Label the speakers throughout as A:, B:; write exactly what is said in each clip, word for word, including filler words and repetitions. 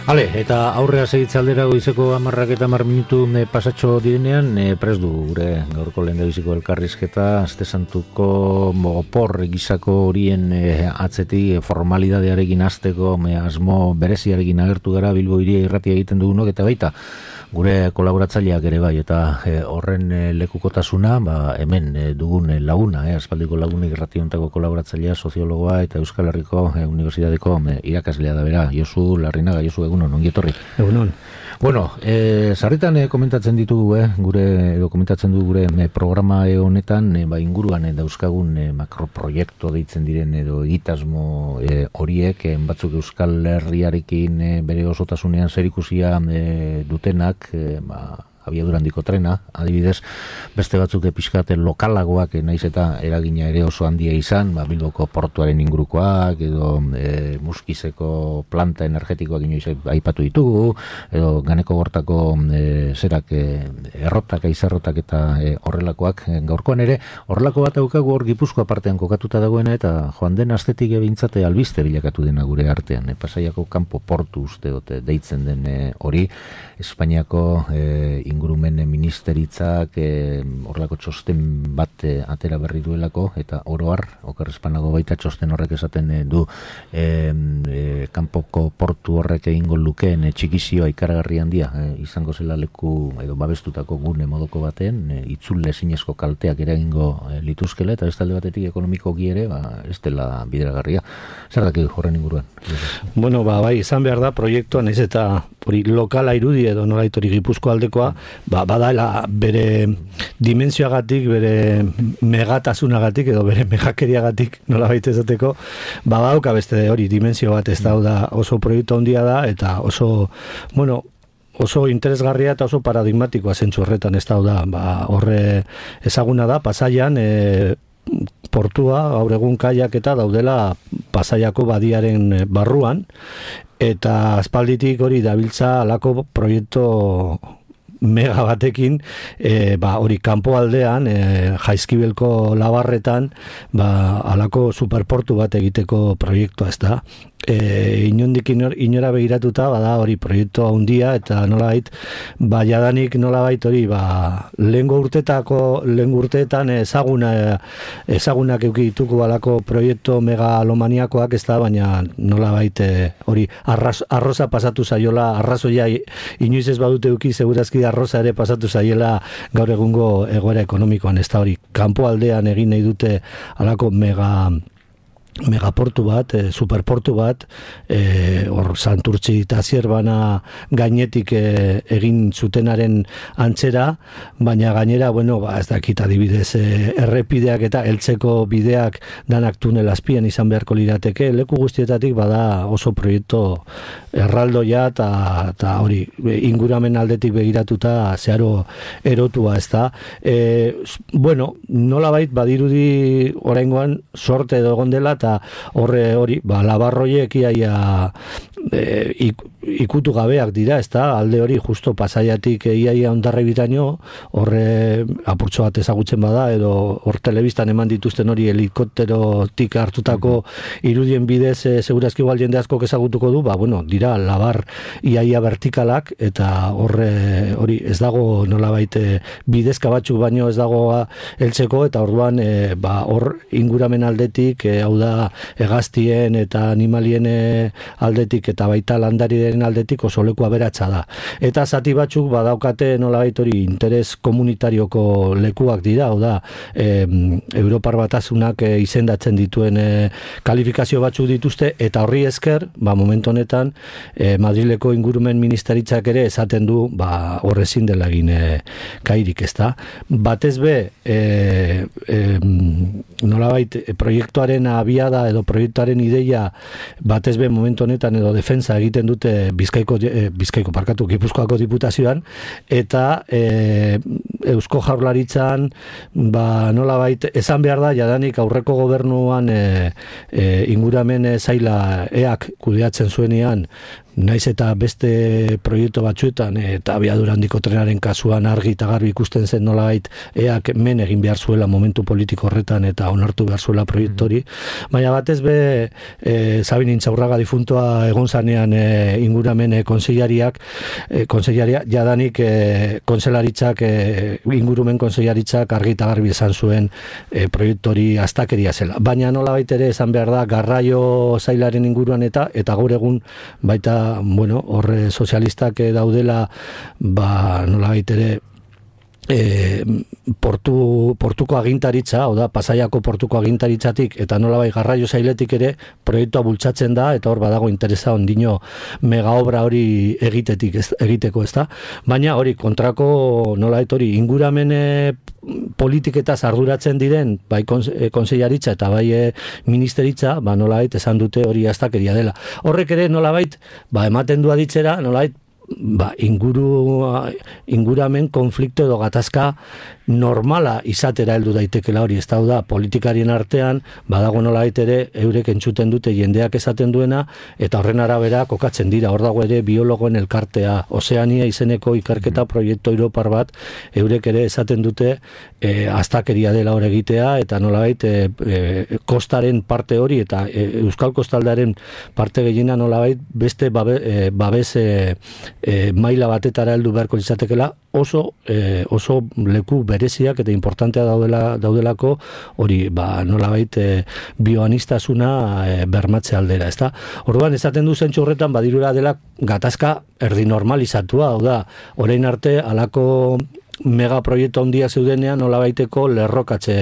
A: Hale, eta aurrea segitzaldera goizeko amarrak eta hamar minutu e, pasatxo direnean, e, prest du gure gaurko lehendabiziko elkarrizketa, Aste Santuko opor gizako horien e, atzeti formalidadearekin hasteko e, asmo bereziarekin agertu gara Bilbo Hiria irratia egiten dugunok, eta baita gure kolaboratzaileak ere bai, eta e, horren e, lekukotasuna, ba, hemen e, dugun e, laguna, e, aspaldiko lagunik irrationtako kolaboratzailea, soziologoa eta Euskal Herriko e, Unibertsitateko e, irakaslea da bera, Josu Larrinaga. Josu, egunon, ongi etorri.
B: Egunon.
A: Bueno, e, sarritan e, komentatzen ditugu, eh, gure, edo komentatzen du gure e, programa e, honetan, e, ba, inguruan e, dauzkagun e, makroproiektu deitzen diren edo egitasmo e, horiek, e, batzuk Euskal Herriarekin e, bere osotasunean zerikusia e, dutenak, e, ba, abiadura handiko trena, adibidez, beste batzuk pixkate lokalagoak, naiz eta eragina ere oso handia izan, ba, Bilboko portuaren ingurukoak, edo e, Muskizeko planta energetikoak inoiz aipatu ditugu, edo Ganeko Gortako e, zerak e, errotak, aizarrotak eta e, horrelakoak. Gaurkoan ere, horrelako bat daukagu hor Gipuzkoa partean kokatuta dagoena, eta joan den astetik ebintzate albiste bilakatu dena gure artean. E, Pasaiako kanpo portu uste dute deitzen den e, hori, Espainiako e, ingurumen ministeritzak e, horrelako txosten bat e, atera berri duelako, eta oroar, okerrezpanago baita txosten horrek esaten e, du e, e, kanpoko portu horrek egingo lukeen e, txikizioa ikaragarri handia e, izango zela leku edo babestutako gune modoko baten, e, itzule zinezko kalteak eragingo e, lituzkela, eta ez talde batetik ekonomikoki ere, ba, ez dela bideragarria. Zer daki horren inguruan?
B: Bueno, ba, bai, izan behar da proiektuan ez eta hori lokala irudi edo nolaitori Gipuzko aldekoa, ba, badaela bere dimentsioagatik, bere megatasunagatik edo bere megakeriagatik nola baita esateko, ba, badauka beste hori dimentsio bat, ez da, oso proiektu handia da, eta oso, bueno, oso interesgarria eta oso paradigmatikoa zentzu horretan, ez da, ba, horre ezaguna da, Pasaian, e, portua, gaur egun kaiak eta daudela Pasaiako badiaren barruan, eta aspalditik hori dabiltza alako proiektu mega batekin, e, ba, hori kanpo aldean, e, Jaizkibelko labarretan, ba, alako superportu bat egiteko proiektua, ez da. E, inondik inor, inora begiratuta, bada hori proiektu handia, eta nolabait, ba, jadanik nolabait hori, ba, lehengo urtetako, lehengo urteetan ezaguna, ezagunak eukituko alako proiektu megalomaniakoak, ez da, baina nolabait hori arras, arroza pasatu zaiola, arrazoia inoiz ez badute euki, segurazki arroza ere pasatu zaiela gaur egungo egoera ekonomikoan, ez da hori, kanpo aldean egin nahi dute alako mega megaportu bat, e, superportu bat, e, hor Santurtzi eta Zierbana gainetik e, egin zutenaren antzera, baina gainera, bueno, ba, ez dakit adibidez, e, errepideak eta heltzeko bideak danak tunel azpian izan beharko lirateke, leku guztietatik bada oso proiektu erraldoia eta hori inguramen aldetik begiratuta zeharo erotua, ez da. E, bueno, nolabait badirudi oraingoan sorte edo egon dela, eta horre hori, ba, labarroiek iaia e, ik, ikutu gabeak dira, ez da, alde hori justo Pasaiatik iaia ondarre bitaino, horre apurtxo bat ezagutzen bada, edo hor telebistan eman dituzten hori helikopterotik hartutako irudien bidez, e, segurazki igual jende askok ezagutuko du, ba, bueno, dira labar iaia vertikalak, eta horre hori ez dago nolabait bidezka batzuk baino ez dago heltzeko, eta orduan e, ba, hor inguramen aldetik, e, hau da hegaztien eta animalien aldetik eta baita landarien aldetik oso leku aberatsa da. Eta zati batzuk badaukate nolabait hori interes komunitarioko lekuak dira, hau da e, Europar Batasunak e, izendatzen dituen e, kalifikazio batzuk dituzte, eta horri esker, ba, momentu honetan e, Madrileko ingurumen ministeritzak ere esaten du, ba, horrezin dela egin e, kairik, ez da. Batez be, e, e, nolabait e, proiektuaren abia da edo proiektuaren ideia batez be momentu honetan edo defensa egiten dute Bizkaiko, eh, Bizkaiko parkatu Gipuzkoako diputazioan, eta eh, Eusko Jaurlaritzan ba, nolabait esan behar da jadanik aurreko gobernuan eh, eh, inguramen zaila eak kudeatzen zuenean naiz eta beste proiektu batzuetan, eta abiadura handiko trenaren kasuan argi eta garbi ikusten zen nolabait eak men egin behar zuela momentu politiko horretan eta onartu behar zuela proiektori, mm-hmm. baina batez be e, Sabin Intxaurraga difuntoa egon zanean e, inguramen e, konseilariak, e, konseilariak jadanik e, konselaritzak, e, ingurumen konseilaritzak argi eta garbi esan zuen e, proiektori astakeria zela. Baina nolabait ere esan behar da garraio zailaren inguruan eta eta gaur egun baita, bueno, horre sozialistak daudela, ba nolabait ere E, portu, portuko agintaritza, oda, Pasaiako portuko agintaritzatik eta nolabai garraio zailetik ere proiektua bultzatzen da eta hor badago interesa ondino mega obra hori egitetik, ez, egiteko, ez da? Baina hori kontrako nolait hori inguramen politiketaz arduratzen diren bai konsellaritza eta bai ministeritza, ba nolait esan dute hori astakeria dela. Horrek ere nolabait, ba ematen du aditzera, nolait ba, inguru, inguramen konflikto edo gatazka normala izatera heldu daitekela hori, ez da, politikarien artean, badago nolait ere, eurek entzuten dute jendeak esaten duena, eta horren arabera kokatzen dira, hor dago ere biologoen elkartea, Ozeania izeneko ikerketa proiektu europar bat, eurek ere esaten dute e, astakeria dela hor egitea, eta nolait e, e, kostaren parte hori, eta e, Euskal Kostaldearen parte gehiena nolait beste babe, e, babes e, e, maila batetara heldu beharko izatekela, oso e, oso leku bereziak eta importantea daudela daudelako hori ba nolabait e, bioanistasuna e, bermatze aldera, ezta? Orduan esaten du zentzu horretan badirura dela gatazka erdi normalizatua, hau da, orain arte halako megaproiektu handia zeudenean nolabaiteko lerrokatze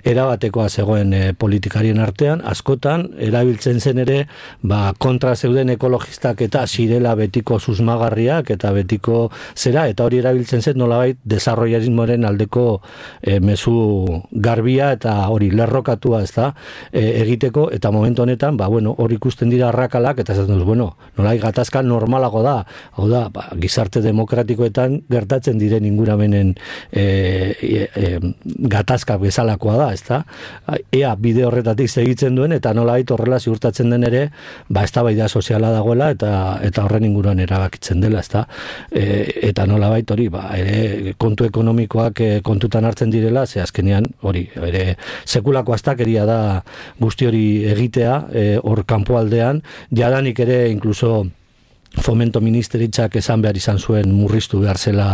B: erabatekoa zegoen e, politikarien artean, askotan erabiltzen zen ere ba, kontra zeuden ekologistak eta zirela betiko susmagarriak eta betiko zera, eta hori erabiltzen zen nolabait desarrollarismoaren aldeko e, mezu garbia eta hori lerrokatua ez da e, egiteko, eta momentu honetan ba, bueno, hori ikusten dira arrakalak eta esaten duz, bueno, nolabait gatazka normalago da, hau da, ba, gizarte demokratikoetan gertatzen diren inguramen E, e, e, gatazka bezalakoa da, ezta? Ea bide horretatik segitzen duen eta nolabait horrela ziurtatzen den ere, ba eztabaida soziala dagoela eta eta horren inguruan erabakitzen dela, ezta? E, eta nolabait hori, ba ere kontu ekonomikoak e, kontutan hartzen direla, ze azkenean hori, ere sekulako astakeria da guzti hori egitea, hor e, kanpoaldean, jadanik ere inkluso Fomento Ministeritzak esan behar izan zuen murriztu behar zela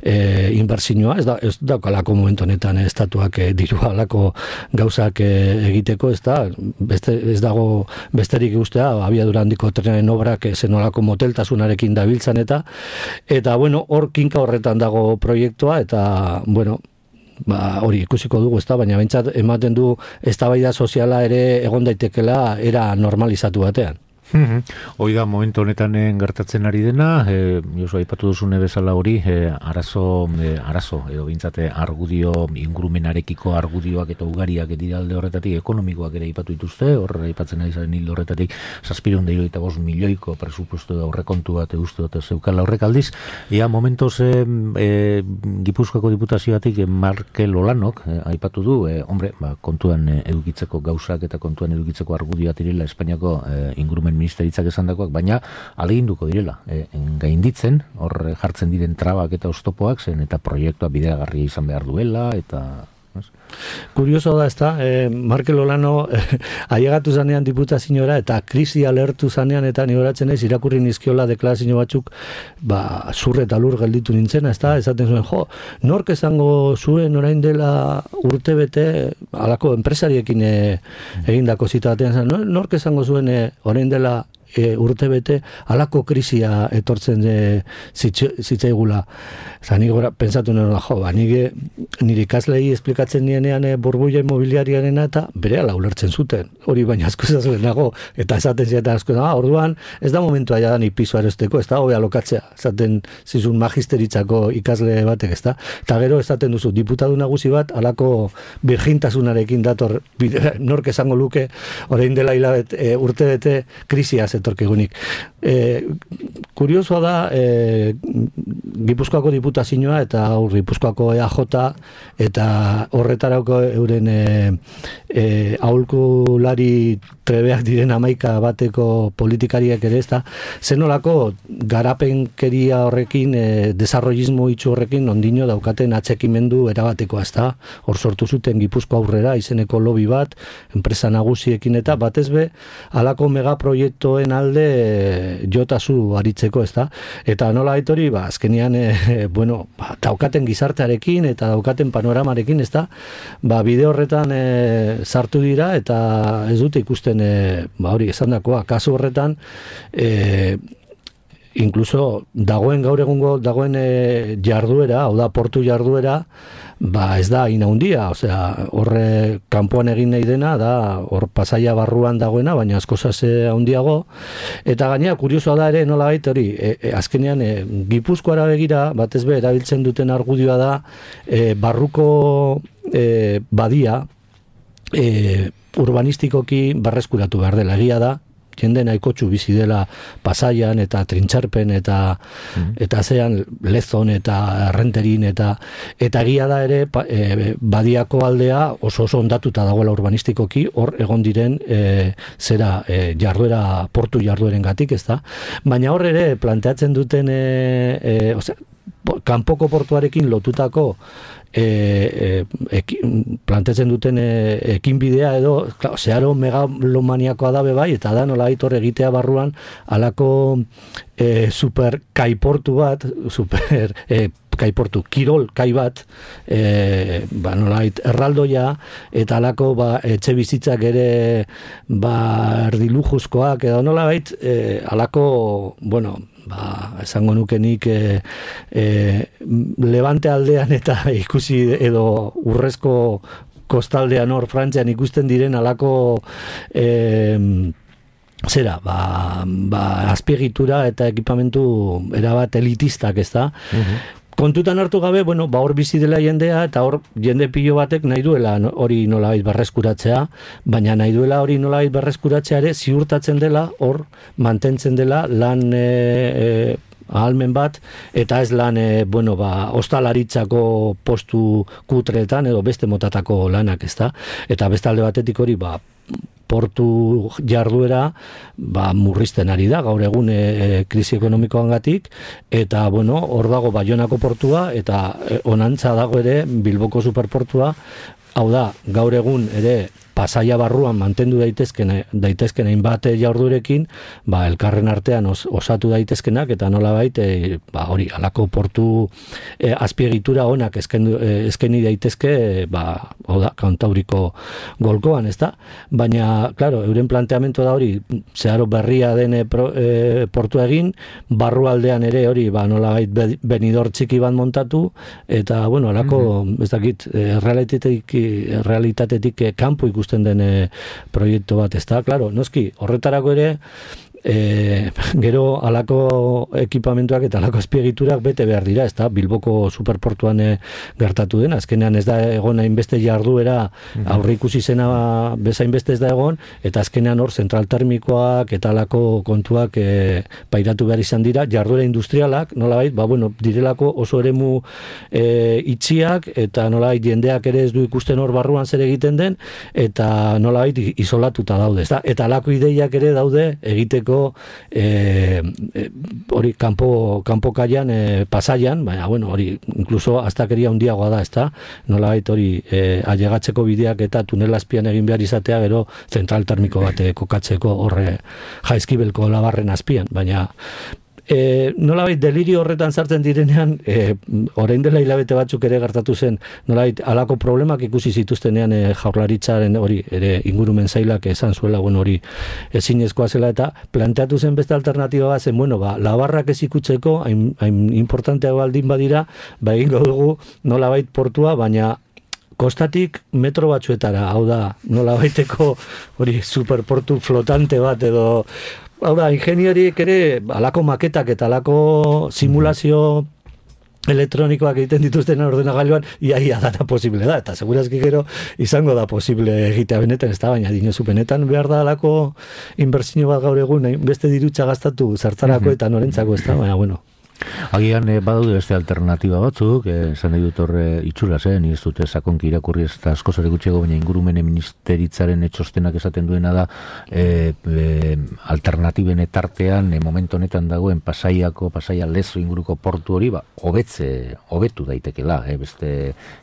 B: e, inbertsioa, ez da, ez daukalako momentu honetan e, estatuak e, diru alako gauzak e, egiteko, ez da, beste, ez dago besterik guztea, abiadura handiko trenaren obrak e, zenolako moteltasunarekin dabiltzan eta, eta bueno, hor kinka horretan dago proiektua, eta, bueno, ba, hori ikusiko dugu, ez da, baina bentsat ematen du eztabaida soziala ere egon daitekela era normalizatu batean.
A: Hoi da, momentu honetan gertatzen ari dena, e, Josu, aipatu duzune bezala hori, e, arazo, e, arazo, edo bintzate argudio, ingurumenarekiko argudioak eta ugariak dira alde horretatik, ekonomikoak ere aipatu dituzte, horre aipatzen ari zaren hildo horretatik, zazpiron da hirurogeita bost milioiko presupuesto da aurrekontu bat euste dute zeukala horrek aldiz, ea momentoz e, e, Gipuzkoako diputazioatik e, Markel Olanok e, aipatu du, e, hombre, ba, kontuan e, edukitzeko gauzak eta kontuan edukitzeko argudioak direla Espainiako e, ingurumen ministeritzak esandakoak, baina aleginduko direla, e, gainditzen, hor jartzen diren trabak eta oztopoak zen, eta proiektua bideragarria izan behar duela, eta...
B: Kurioso da, ez da, eh, Markel Olano eh, ailegatu zanean diputazioara eta krisi alertu zanean eta nigoratzen ez, irakurri nizkiola deklarazio batzuk, ba, zurre eta lur gelditu nintzena, ez da, esaten zuen, jo, nork esango zuen orain dela urte bete, alako enpresariekin eh, egindako zita batean, nork esango zuen eh, orain dela E, urte bete alako krisia etortzen e, zitzaigula. Zanik gora, pensatu nire, jo, ba, nire, nire ikaslei esplikatzen nienean e, burbuia imobiliariarena eta bere ala ulertzen zuten. Hori baina asko zazuen nago, eta esaten zieten asko, ah, orduan ez da momentua ja da ni piso erosteko, ez da, hobe alokatzea, esaten zizun magisteritzako ikasle batek, ez da. Eta gero esaten duzu, diputatu nagusi bat alako virgintasunarekin dator, nork esango luke, orain dela hilabet, e, urte bete krisiaz zetorkigunik. E, kuriosoa da, e, Gipuzkoako diputazioa eta aur Gipuzkoako E A J eta horretarako euren e, e, aholkulari trebeak diren hamaika bateko politikariak ere, ez da, zenolako garapenkeria horrekin, e, desarrollismo itxu horrekin ondino daukaten atxekimendu erabatekoa, ez da, hor sortu zuten Gipuzko aurrera izeneko lobby bat, enpresa nagusiekin eta batez be, alako megaproiektoen alde e, jotazu aritzeko, ez da, eta nola hori, ba, azkenian, e, bueno, ba, daukaten gizartearekin eta daukaten panoramarekin, ez da, ba, bide horretan e, sartu dira eta ez dute ikusten E, ba hori esan dakoa, kasu horretan e, incluso dagoen gaur egungo dagoen e, jarduera, hau da portu jarduera, ba ez da inaundia, osea, horre kanpoan egin nahi dena da, hor Pasaia barruan dagoena, baina asko zase handiago, eta gainera kuriosoa da ere nola bait hori, e, e, azkenean e, Gipuzkoara begira, batez be erabiltzen duten argudioa da, e, barruko e, badia e, urbanistikoki barreskuratu behar dela, egia da, jende nahikotxu bizi dela Pasaian eta Trintxarpen eta mm. eta zean Lezon eta Errenterin eta eta egia da ere pa, e, badiako aldea oso oso ondatuta dagoela urbanistikoki, hor egon diren e, zera e, jarduera, portu jarduerengatik, ez da, baina hor ere planteatzen duten e, e, osea, kanpoko portuarekin lotutako e, e, eki, plantetzen duten e, ekinbidea edo klar, zeharo megalomaniakoa dabe bai, eta da nola hor egitea barruan alako e, super kaiportu bat, super e, kaiportu, kirol kai bat, e, ba nolait erraldoia, eta alako ba, etxe bizitzak ere ba erdilujuzkoak, edo nolait e, alako, bueno, ba, esango nukenik e, e, Levante aldean eta ikusi edo urrezko kostaldean hor Frantzian ikusten diren alako e, zera, ba, ba, azpiegitura eta ekipamentu erabat elitistak, ez da? Uh-huh. Kontutan hartu gabe, bueno, ba hor bizi dela jendea eta hor jende pilo batek nahi duela hori nolabait berreskuratzea, baina nahi duela hori nolabait berreskuratzea ere ziurtatzen dela hor mantentzen dela lan e, e, ahalmen bat, eta ez lan, e, bueno, ba, ostalaritzako postu kutretan edo beste motatako lanak, ezta? Eta beste alde batetik hori, ba, portu jarduera ba, murrizten ari da, gaur egun e, krisi ekonomikoangatik, eta, bueno, hor dago Baionako portua, eta e, onantza dago ere Bilboko superportua, hau da, gaur egun ere Pasaia barruan mantendu daitezken daitezken hainbat jardurekin, ba elkarren artean os, osatu daitezkenak eta nolabait e, ba hori alako portu e, azpiegitura onak eskendu, e, eskeni daitezke e, ba hau da Kantauriko golkoan, ezta? Baina claro, euren planteamento da hori zeharo berria den e, pro, e, portu egin, barrualdean ere hori ba nolabait benidor txiki bat montatu eta bueno, alako mm-hmm. ez dakit e, realitatetik realitatetik e, kanpo ikusten den e, proiektu bat, ez da, claro, noski, horretarako ere e, gero alako ekipamentuak eta alako azpiegiturak bete behar dira, ez da, Bilboko superportuan e, gertatu den, azkenean ez da egon hainbeste jarduera aurre ikusi zena bezain beste ez da egon, eta azkenean hor zentral termikoak eta alako kontuak e, pairatu behar izan dira, jarduera industrialak, nolabait, ba bueno, direlako oso eremu e, itxiak, eta nolabait jendeak ere ez du ikusten hor barruan zer egiten den, eta nolabait isolatuta daude, ez da, eta alako ideiak ere daude egiteko eh e, hori kanpo kanpo kaian e, Pasaian, baina bueno, hori incluso astakeria handiagoa da, ezta? Nolabait hori e, ailegatzeko bideak eta tunel azpian egin behar izatea, gero zentral termiko bat kokatzeko horre Jaizkibelko labarren azpian, baina E, nolabait delirio horretan sartzen direnean, e, orain dela hilabete batzuk ere gertatu zen, nolabait alako problemak ikusi zituztenean e, jaurlaritzaren hori ere ingurumen zailak esan zuela, bueno, hori ezinezkoa zela, eta planteatu zen beste alternatiba bat zen, bueno, ba, labarrak ez ikutzeko, hain, hain importantea baldin badira, ba egingo dugu nolabait portua, baina kostatik metro batzuetara, hau da, nolabaiteko hori superportu flotante bat edo. Hau da, ingenieriek ere alako maketak eta alako simulazio elektronikoak egiten dituzten ordenagailuan, iaia data posible da, eta segurazki gero izango da posible egitea benetan, ez da, baina dinozu benetan behar da alako inbertsio bat gaur egun, beste dirutza gastatu zertzarako eta norentzako, ez da, baina bueno.
A: Agian eh, badaude beste alternatiba batzuk, eh, esan nahi dut horre itxuraz, eh, ni ez dute sakonki irakurri ez da asko zare gutxego, baina ingurumene ministeritzaren etxostenak esaten duena da eh, eh, alternatiben etartean, eh, momentu honetan dagoen Pasaiako, Pasaia Lezo inguruko portu hori, ba, hobetze, hobetu daitekela, eh, beste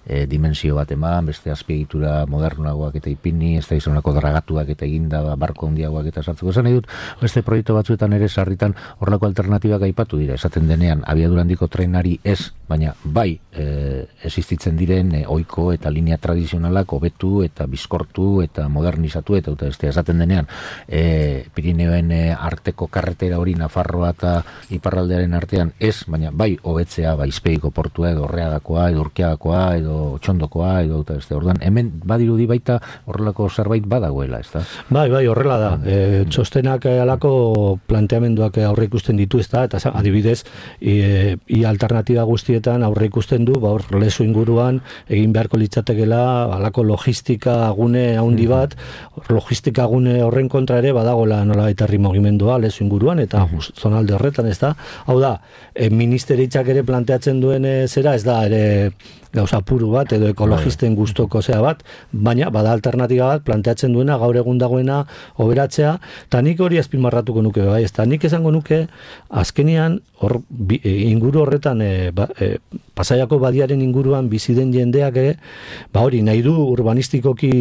A: eh, dimensio bat eman, beste azpiegitura modernagoak eta ipini, ez da izanako dragatuak eta eginda ba, barko handiagoak eta sartzeko. Esan nahi dut, beste proiektu batzuetan ere sarritan horrelako alternatibak aipatu dira, esaten denean abiadura handiko trenari ez, baina bai e, existitzen diren e, ohiko eta linea tradizionalak hobetu eta bizkortu eta modernizatu eta eta beste esaten denean e, Pirineoen e, arteko karretera hori Nafarroa eta iparraldearen artean ez, baina bai hobetzea bai Izpegiko portua edo Orreagakoa edo Urkiagakoa edo Txondokoa edo eta beste. Orduan hemen badirudi baita horrelako zerbait badagoela, ezta?
B: Bai, bai, horrela da. E, txostenak halako planteamenduak aurre ikusten ditu, ezta? Eta adibidez, I, i alternatiba guztietan aurre ikusten du, ba, hor Lezo inguruan egin beharko litzatekela halako logistika gune handi bat, logistika gune horren kontra ere badagola nola eta herri mugimendua Lezo inguruan eta uh-huh. zonalde horretan, ez da? Hau da, e, ministeritzak ere planteatzen duen e, zera, ez da ere gauza puru bat edo ekologisten gustoko zea bat, baina bada alternatiba bat planteatzen duena gaur egun dagoena hoberatzea, eta nik hori azpimarratuko nuke, bai, ez da, nik esango nuke azkenean hor bi, e, inguru horretan e, ba, e, Pasaiako badiaren inguruan bizi den jendeak ere, ba hori nahi du urbanistikoki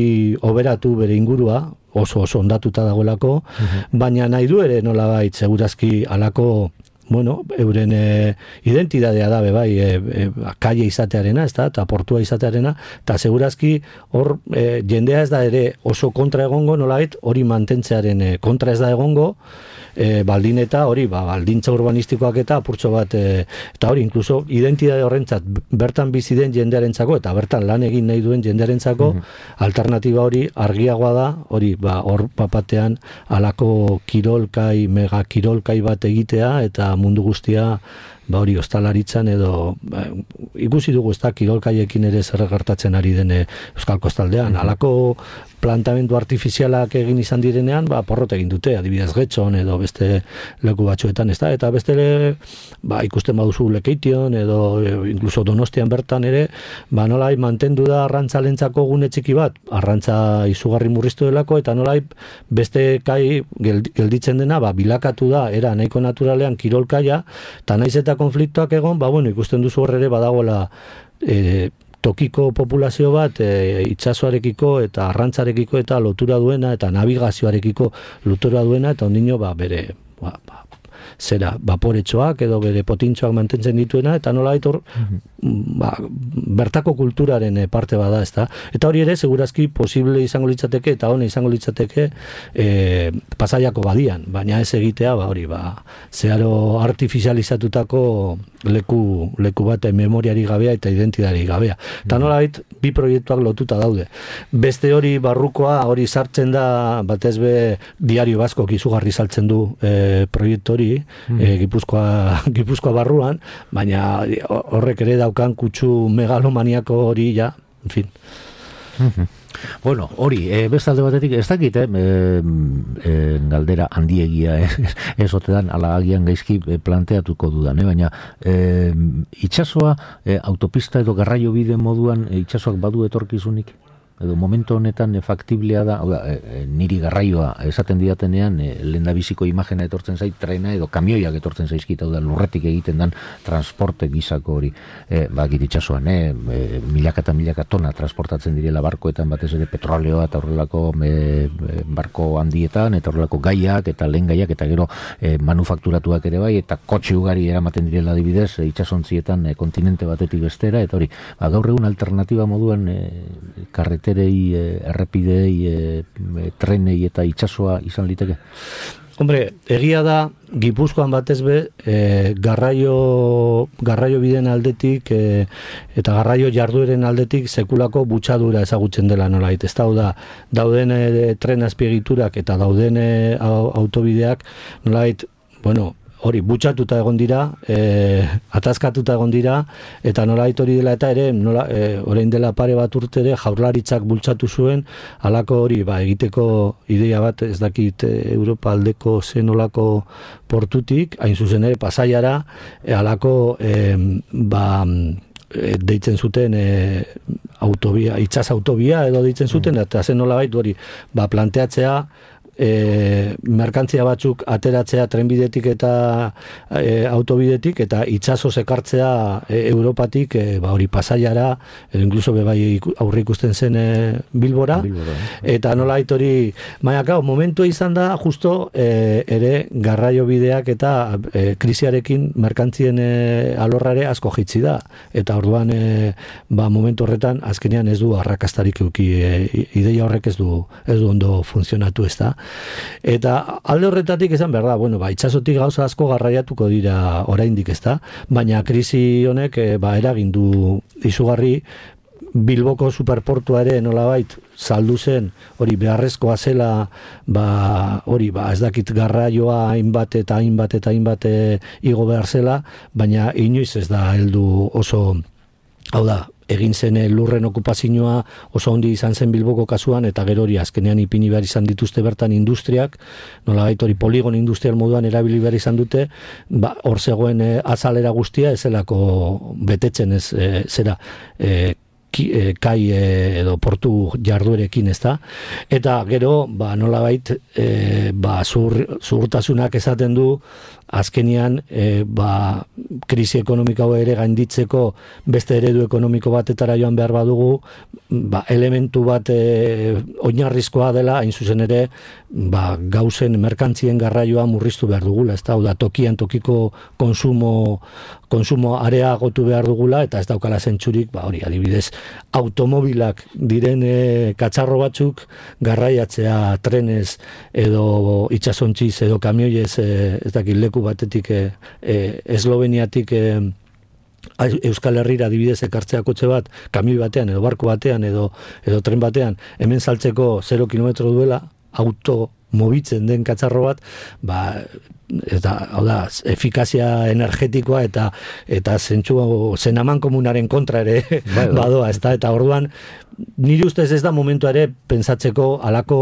B: hoberatu bere ingurua, oso oso ondatuta dagoelako, uh-huh. baina nahi du ere nolabait segurazki halako bueno, euren e, identidadea da, bai, e, e, kalle izatearena, ez da, eta portua izatearena, eta segurazki hor e, jendea ez da ere oso kontra egongo, nolait, hori mantentzearen e, kontra ez da egongo, e, baldin eta hori, ba, baldintza urbanistikoak eta apurtxo bat, e, eta hori, inkluso, identidade horrentzat, bertan bizi den jendearentzako, eta bertan lan egin nahi duen jendearentzako, mm-hmm. alternatiba hori argiagoa da, hori, ba, hor papatean alako kirolkai, mega kirolkai bat egitea, eta mundu guztia ba hori ostalaritzan edo ba, ikusi dugu ez da kirolkaiekin ere zer gertatzen ari den Euskal Kostaldean. Halako plantamendu artifizialak egin izan direnean, ba porrot egin dute, adibidez Getxon edo beste leku batzuetan, ez da, eta beste ba, ikusten baduzu Lekeition edo incluso Donostian bertan ere, ba nolai mantendu da arrantzalentzako gune txiki bat, arrantza izugarri murriztu delako, eta nolai beste kai gelditzen dena, ba bilakatu da, era nahiko naturalean kirolkaia, eta naiz eta konfliktoak egon, ba bueno, ikusten duzu horre ere badagoela e, tokiko populazio bat e, itsasoarekiko eta arrantzarekiko eta lotura duena eta navigazioarekiko lotura duena eta ondino ba bere ba, ba, zera vaporetxoak edo bere potintxoak mantentzen dituena eta nola aitor mm-hmm. ba, bertako kulturaren parte bada, ezta? Eta hori ere segurazki posible izango litzateke eta hone izango litzateke e, Pasaiako badian, baina ez egitea ba hori ba zeharo artifizializatutako leku leku bat memoriari gabea eta identidari gabea. Eta nola bait, bi proiektuak lotuta daude. Beste hori barrukoa, hori sartzen da batez be Diario Baskok izugarri saltzen du e, proiektu hori, mm. e, Gipuzkoa, Gipuzkoa barruan, baina horrek ere daukan kutsu megalomaniako hori ja, en fin.
A: Mm-hmm. Bueno, hori, e, bestalde batetik ez dakit, eh, e, galdera handiegia eh, ez otedan ala agian gaizki planteatuko dudan, eh, baina e, itsasoa e, autopista edo garraio bide moduan e, itsasoak badu etorkizunik? Edo momentu honetan e, faktiblea da, oda, e, e, niri garraioa esaten didatenean e, lehendabiziko imagena etortzen zait trena edo kamioiak etortzen zaizkit, da lurretik egiten dan transporte gizako hori e, bakit itxasuan, e, e, milaka eta milaka tona transportatzen direla barkoetan batez ere petroleoa eta horrelako e, barko handietan eta horrelako gaiak eta lehen gaiak eta gero e, manufakturatuak ere bai eta kotxe ugari eramaten direla adibidez e, itxasontzietan e, kontinente batetik bestera eta hori, ba, gaur egun alternatiba moduan e, karret terei, errepidei, e, trenei eta itsasoa izan liteke?
B: Hombre, egia da, Gipuzkoan batez be, e, garraio, garraio biden aldetik e, eta garraio jardueren aldetik sekulako butxadura ezagutzen dela nolait. Ez da, dauden e, tren azpiegiturak eta dauden e, autobideak nolait, bueno, hori butxatuta egon dira, e, atazkatuta egon dira, eta nola hori dela eta ere, nola, e, orain dela pare bat urte ere, jaurlaritzak bultzatu zuen, halako hori, ba, egiteko ideia bat, ez dakit Europa aldeko zen olako portutik, hain zuzen ere, Pasaiara, halako, e, ba, deitzen zuten e, autobia, itsas autobia edo deitzen zuten, eta zen nola baitu hori, ba, planteatzea, E, merkantzia batzuk ateratzea trenbidetik eta e, autobidetik eta itsasoz ekartzea e, Europatik e, ba hori Pasaiara edo incluso bebai aurre ikusten zen e, Bilbora, Bilbora eh? Eta nola hori baina momentu izan da justo e, ere garraio bideak eta e, krisiarekin merkantzien e, alorrare asko jitzi da eta orduan e, ba momentu horretan azkenean ez du arrakastarik eduki e, ideia horrek ez du ez du ondo funtzionatu ez da. Eta alde horretatik esan behar da, bueno, ba, itxasotik gauza asko garraiatuko dira oraindik ezta, baina krisi honek e, ba, eragin du izugarri Bilboko superportua ere nolabait saldu zen, hori beharrezkoa zela, ba, hori, ba, ez dakit garraioa hainbat eta hainbat eta hainbat e, igo behar zela, baina inoiz ez da heldu oso, hau da, egin zen lurren okupazioa oso handi izan zen Bilboko kasuan, eta gero hori azkenean ipini behar izan dituzte bertan industriak, nolabait hori poligon industrial moduan erabili behar izan dute, ba, hor zegoen e, azalera guztia ezelako betetzen ez e, zera e, ki, e, kai e, edo portu jarduerekin ez da, eta gero ba, nolabait e, ba, zur, zurtasunak esaten du azkenian e, ba, krisi ekonomiko ere gainditzeko beste eredu ekonomiko batetara joan behar badugu, ba, elementu bat e, oinarrizkoa dela, hain zuzen ere ba, gauzen merkantzien garraioa murriztu behar dugula, ez da, da tokian tokiko konsumo konsumo areagotu behar dugula, eta ez daukala zentzurik, ba, hori adibidez automobilak diren e, katxarro batzuk garraiatzea trenez edo itxasontziz edo kamioiez e, ez dakit leku batetik e, e, Esloveniatik e, Euskal Herrira adibidez ekartzea kotxe bat, kamioi batean edo barko batean edo, edo tren batean, hemen saltzeko zero kilometro duela, auto mobitzen den katxarro bat, ba, eta, hau da, efikazia energetikoa eta eta zentsu zenaman komunaren kontra ere bai, badoa, ez da, eta orduan nire ustez ez da momentu ere pentsatzeko halako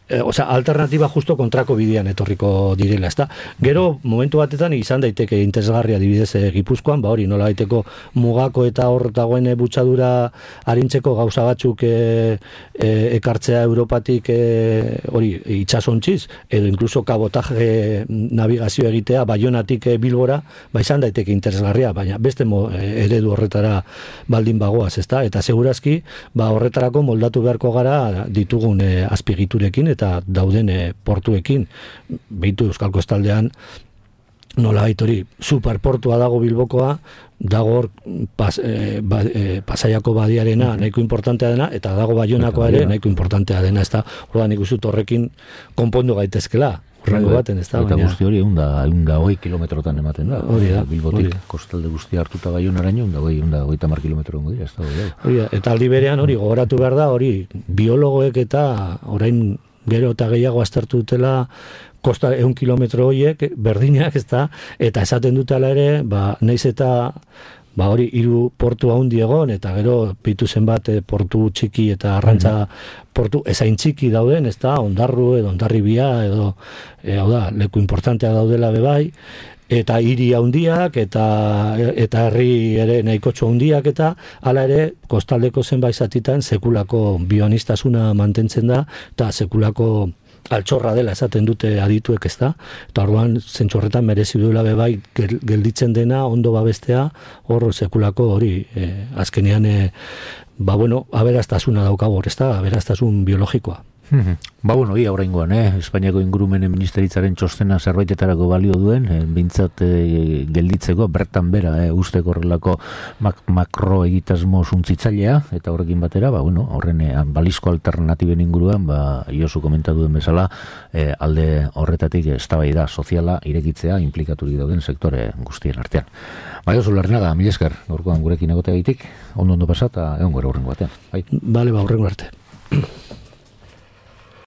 B: E, osea, alternatiba justo kontrako bidean etorriko direla, ezta? Gero, momentu batetan izan daiteke interesgarria adibidez e, Gipuzkoan, ba hori, nola daiteko mugako eta hor dagoen butxadura arintzeko gauza batzuk e, e, ekartzea Europatik e, hori itsasontziz, edo incluso kabotaje navigazio egitea Baionatik e, Bilbora, ba izan daiteke interesgarria, baina beste mo, e, eredu horretara baldin bagoaz, ezta? Eta segurazki, ba horretarako moldatu beharko gara ditugun e, azpigiturekin eta dauden e, portuekin, behitu Euskal Kostaldean nola hori superportua dago Bilbokoa, dago hor pas, e, ba, e, Pasaiako badiarena nahiko importantea dena, eta dago Baionakoa ere nahiko importantea dena, ez da, orduan ikustut horrekin konpondu gaitezkela, horrengo baten, ez da,
A: eta guzti hori egun da hogei kilometrotan ematen da,
B: hori da,
A: Bilbotik
B: hori. Kostalde
A: guztia hartuta Baionaraino, egun da hogei, egun da hogeita hamar kilometro ongo dira, ez da, hori da.
B: Hori da, eta aldi berean hori gogoratu behar da, hori biologoek eta orain gero eta gehiago aztertu dutela kosta eun kilometro horiek berdinak, ez da, eta esaten dutela ere, ba, naiz eta ba hori hiru portu handi egon, eta gero pitu zenbat portu txiki eta arrantza mm-hmm. portu ezain txiki dauden, ez da, Ondarru edo Ondarribia edo, e, hau da, leku importantea daudela bebai, eta hiri handiak eta eta herri ere nahikotxo handiak, eta hala ere kostaldeko zenbait zatitan sekulako bioanistasuna mantentzen da eta sekulako altxorra dela esaten dute adituek, ez da, eta orduan zentzu horretan merezi duela bebai gelditzen dena ondo babestea, hor sekulako hori e, azkenean e, ba bueno, aberastasuna daukago hor, ez da, aberastasun biologikoa.
A: Ba, bueno, ia oraingoan, eh? Espainiako ingurumenen ministeritzaren txostena zerbaitetarako balio duen, eh, bintzat eh, gelditzeko, bertan bera, eh, usteko horrelako mak makro egitasmo suntzitzailea, eta horrekin batera, ba, bueno, horren eh, balizko alternatiben inguruan, ba, Josu komentatu den bezala, eh, alde horretatik eztabaida soziala irekitzea implikaturik dauden sektore guztien artean. Ba, Josu Larrinaga, mila esker, gaurkoan gurekin egoteagaitik, ondo ondo pasata, egon gara horrengo batean. Bai.
B: Bale, ba, horrengo arte.